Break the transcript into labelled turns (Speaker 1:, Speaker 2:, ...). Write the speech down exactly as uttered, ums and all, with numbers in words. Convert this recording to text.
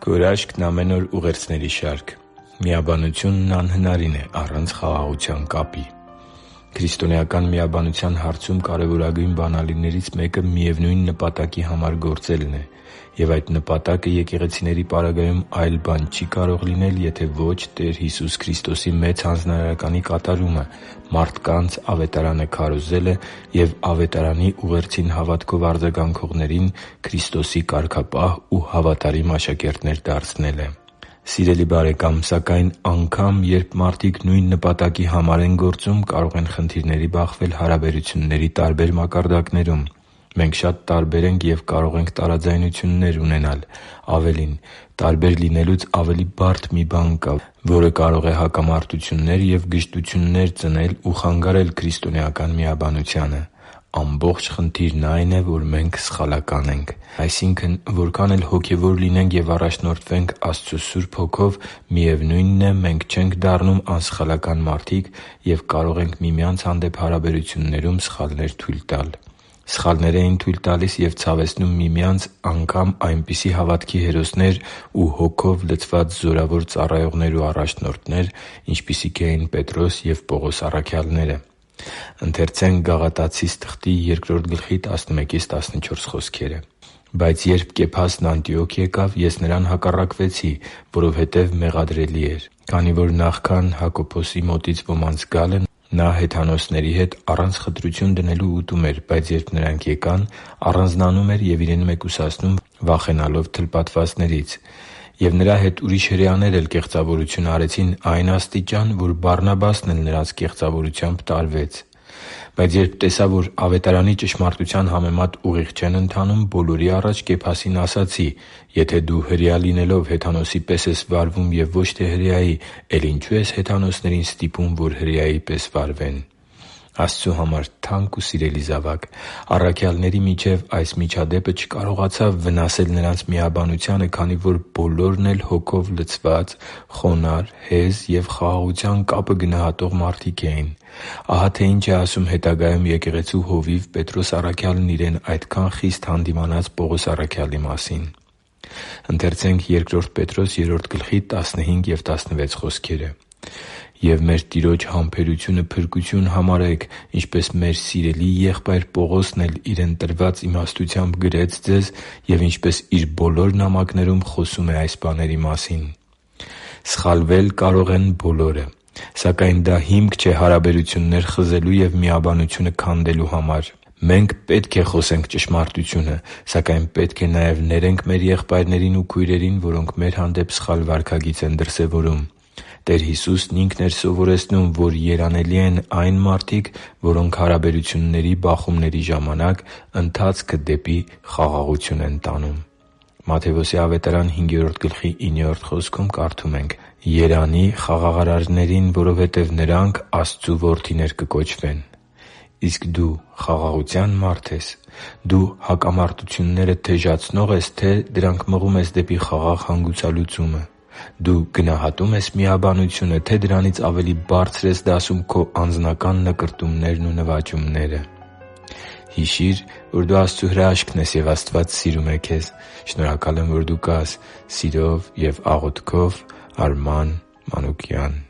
Speaker 1: Քո հրաշքն ամեն օր ուղերձների շարք։ Միաբանությունն անհնարին է առանց խաղաղության կապի։ Քրիստոնեական միաբանության հարցում կարևորագույն բանալիներից մեկը միևնույն նպատակի համար գործելն է։ Եվ այդ նպատակը եկեղեցիների պարագայում այլ բան չի կարող լինել, եթե ոչ Տեր Հիսուս Քրիստոսի Մեծ Հանձնարարականի կատարումը, մարդկանց ավետարանը քարոզելը և ավետարանի ուղերձին հավատքով արձագանքողներին Քրիստոսի կարգապահ ու հավատարիմ աշակերտներ դարձնելը։ Սիրելի՛ բարեկամ, սակայն անգամ երբ մարդիկ նույն նպատակի համար են գործում, կարող են խնդիրների բախվել հարաբերությունների տարբեր մակարդակներում։ Մենք շատ տարբեր ենք և կարող ենք տարաձայնություններ ունենալ։ Ավելին, տարբեր լինելուց ավելի բարդ մի բան կա, որը կարող է հակամարտություններ և գժտություններ ծնել ու խանգարել քրիստոնեական միաբանությանը։ Ամբողջ խնդիրն այն է, որ մենք սխալական ենք։ Այսինքն, որքան էլ հոգևոր լինենք և առաջնորդվենք Աստծո Սուրբ Հոգով, միևնույնն է, մենք չենք դառնում անսխալական մարդիկ և կարող ենք միմյանց հանդեպ հարաբերություններում սխալներ թույլ տալ։ Սխալներ էին թույլ տալիս և ցավեցնում միմյանց անգամ այնպիսի հավատքի հերոսներ ու Հոգով լցված զորավոր ծառայողներ ու առաջնորդներ, ինչպիսիք էին Պետրոս և Պողոս առաքյալները։ «Բայց երբ Կեփասն Անտիոք եկավ, ես նրան հակառակվեցի, որովհետև մեղադրելի էր, քանի որ նախքան Հակոբոսի մոտից ոմանց գալը, նա հեթանոսների հետ առանց խտրություն դնելու ուտում էր, բայց երբ նրանք եկան, առանձնանում էր և իրեն մեկուսացնում վախենալով թլպատվածներից։ Եվ նրա հետ ուրիշ հրեաներ էլ կեղծավորություն արեցին այն աստիճան, որ Բարնաբասն էլ նրանց կեղծավորությամբ տարվեց։ Բայց երբ տեսա, որ ավետարանի ճշմարտության համեմատ ուղիղ չեն ընթանում, բոլորի առաջ Կեփասին ասացի. «Եթե դու հրեա լինելով հեթանոսի պես ես վարվում և ոչ թե հրեայի, էլ ինչո՞ւ ես հեթանոսներին ստիպում, որ հրեայի պես վարվեն»։ Աստծու համար թանկ ու սիրելի՛ զավակ, առաքյալների միջև այս միջադեպը չկարողացավ վնասել նրանց միաբանությանը, քանի որ բոլորն էլ Հոգով լցված, խոնարհ, հեզ և խաղաղության կապը գնահատող մարդիկ էին։ Ահա թե ինչ է ասում հետագայում եկեղեցու հովիվ Պետրոս առաքյալն իրեն այդքան խիստ հանդիմանած Պողոս առաքյալի մասին. «Եվ մեր Տիրոջ համբերությունը փրկություն համարեք, ինչպես մեր սիրելի եղբայր Պողոսն էլ իրեն տրված իմաստությամբ գրեց ձեզ և ինչպես իր բոլոր նամակներում խոսում է այս բաների մասին» (Բ Պետրոս trois) Սխալվել կարող են բոլորը, սակայն դա հիմք չէ հարաբերություններ խզելու և միաբանությունը քանդելու համար։ Մենք պետք է խոսենք ճշմարտությունը, սակայն պետք է նաև ներենք մեր եղբայրներին ու քույրերին, որոնք մեր հանդեպ սխալ վարքագիծ են դրսևորում։ Տեր Հիսուսն Ինքն էր սովորեցնում, որ երանելի են այն մարդիկ, որոնք հարաբերությունների բախումների ժամանակ ընթացքը դեպի խաղաղություն են տանում։ Մատթեոս ավետարան հինգերորդ գլխի իններորդ խոսքում կարդում ենք. «Երանի՜ խաղաղարարներին, որովհետև նրանք Աստծու որդիներ կկոչվեն»։ Իսկ դու խաղաղությա՞ն մարդ ես։ Դու հակամարտությունները թեժացնո՞ղ ես, թե՞ դրանք մղում ես դեպի խաղաղ հանգուցալուծումը։ Դու գնահատո՞ւմ ես միաբանությունը, թե՞ դրանից ավելի բարձր ես դասում քո անձնական նկրտումներն ու նվաճումները։ Հիշի՛ր, որ դու Աստծո հրաշքն ես, և Աստված սիրում է քեզ։ Շնորհակալ եմ, որ դու կա՛ս։ Սիրով և աղոթքով, Արման Մանուկյան։